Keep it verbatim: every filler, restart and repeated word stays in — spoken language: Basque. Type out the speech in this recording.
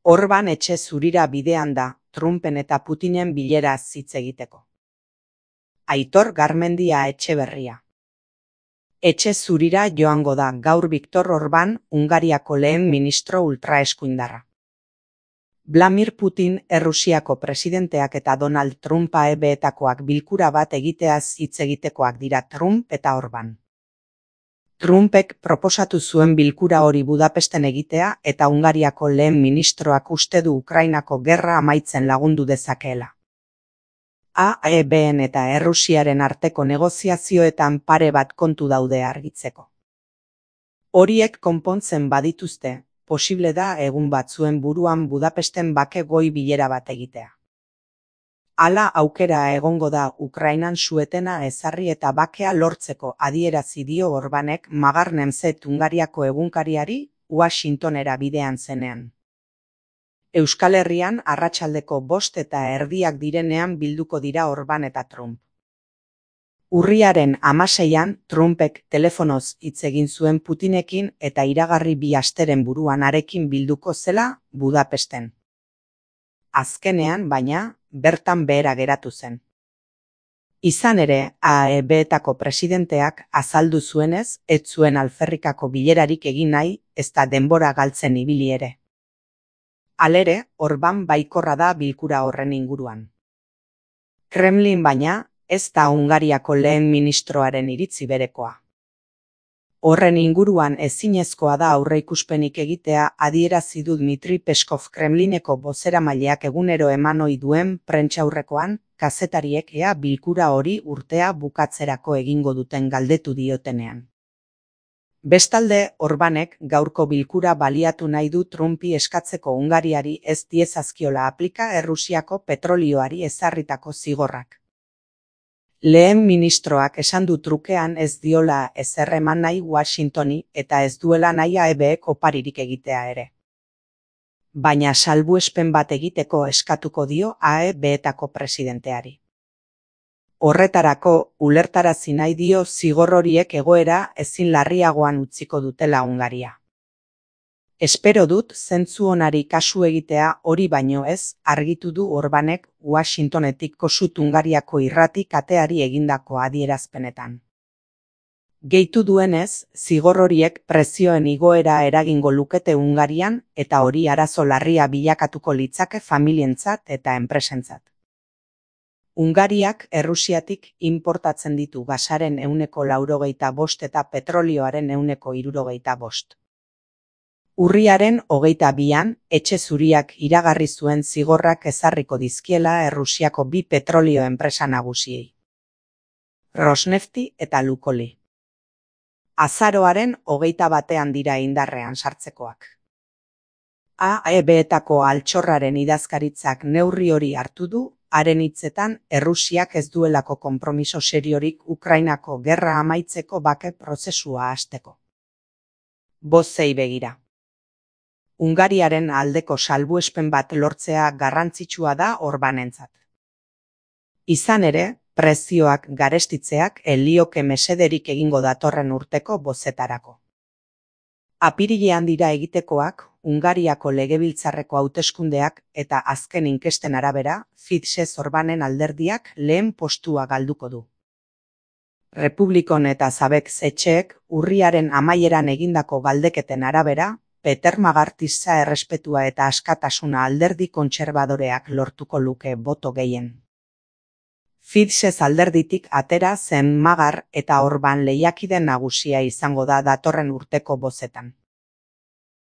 Orban etxe zurira bidean da, Trumpen eta Putinen bileraz hitz egiteko. Aitor Garmendia Etxeberria. Etxe zurira joango da gaur Viktor Orban, Hungariako lehen ministro ultraeskuindarra. Vladimir Putin, Errusiako presidenteak eta Donald Trump A E B-etakoak bilkura bat egiteaz hitz egitekoak dira Trump eta Orban. Trumpek proposatu zuen bilkura hori Budapesten egitea eta Hungariako lehen ministroak uste du Ukrainako gerra amaitzen lagundu dezakeela. A E B-en eta Errusiaren arteko negoziazioetan pare bat kontu daude argitzeko. Horiek konpontzen badituzte, posible da egun batzuen buruan Budapesten bake goi bilera bat egitea. Hala aukera egongo da Ukrainan suetena ezarri eta bakea lortzeko adierazi dio Orbanek Magar Nemzet Hungariako egunkariari Washingtonera bidean zenean. Euskal Herrian arratsaldeko bost eta erdiak direnean bilduko dira Orban eta Trump. Urriaren hamaseian Trumpek telefonoz hitz egin zuen Putinekin eta iragarri bi asteren buruan harekin bilduko zela Budapesten. Azkenean, baina, bertan behera geratu zen. Izan ere, A E B-etako presidenteak azaldu zuenez, ez zuen alferrikako bilerarik egin nahi, ezta denbora galtzen ibili ere. Halere, Orban baikorra da bilkura horren inguruan. Kremlin baina, ez da Hungariako lehen ministroaren iritzi berekoa. Horren inguruan ezinezkoa da aurreikuspenik egitea adierazi du Dmitri Peskov Kremlineko bozeramaileak egunero eman ohi duen prentsaurrekoan, kazetariek ea bilkura hori urtea bukatzerako egingo duten galdetu diotenean. Bestalde, Orbanek gaurko bilkura baliatu nahi du Trumpi eskatzeko Hungariari ez diezazkiola aplika Errusiako petrolioari ezarritako zigorrak. Lehen ministroak esan du trukean ez diola ezer eman nahi Washingtoni eta ez duela nahi A E B-ek oparirik egitea ere. Baina salbuespen bat egiteko eskatuko dio A E B-etako presidenteari. Horretarako, ulertarazi nahi dio zigor horiek egoera ezin larriagoan utziko dutela Hungaria. Espero dut zentzu onari kasu egitea hori baino ez, argitu du Orbanek Washingtonetik kosut Hungariako irrati kateari egindako adierazpenetan. Gehitu duenez, zigor horiek prezioen igoera eragingo lukete Hungarian eta hori arazo larria bilakatuko litzake familientzat eta enpresentzat. Hungariak Errusiatik inportatzen ditu gasaren ehuneko laurogeita bost eta petrolioaren ehuneko hirurogeita bost. Urriaren hogeita bian, etxe zuriak iragarri zuen zigorrak ezarriko dizkiela Errusiako bi petrolio enpresa nagusiei. Rosnefti eta Lukoli. Azaroaren hogeita batean dira indarrean sartzekoak. A E B-etako altxorraren idazkaritzak neurri hori hartu du, haren hitzetan Errusiak ez duelako konpromiso seriorik Ukrainako gerra amaitzeko bake prozesua hasteko. Bozei begira. Hungariaren aldeko salbuespen bat lortzea garrantzitsua da Orbanentzat. Izan ere, prezioak garestitzeak elioke mesederik egingo datorren urteko bozetarako. Apirilean dira egitekoak, Hungariako legebiltzarreko hauteskundeak eta azken inkesten arabera, Fidesz Orbanen alderdiak lehen postua galduko du. Republikon eta Zabek etxeek urriaren amaieran egindako galdeketen arabera, Peter Magartisa errespetua eta askatasuna alderdi kontserbadoreak lortuko luke boto gehien. Fidesz alderditik atera zen Magar eta Orban lehiakide nagusia izango da datorren urteko bozetan.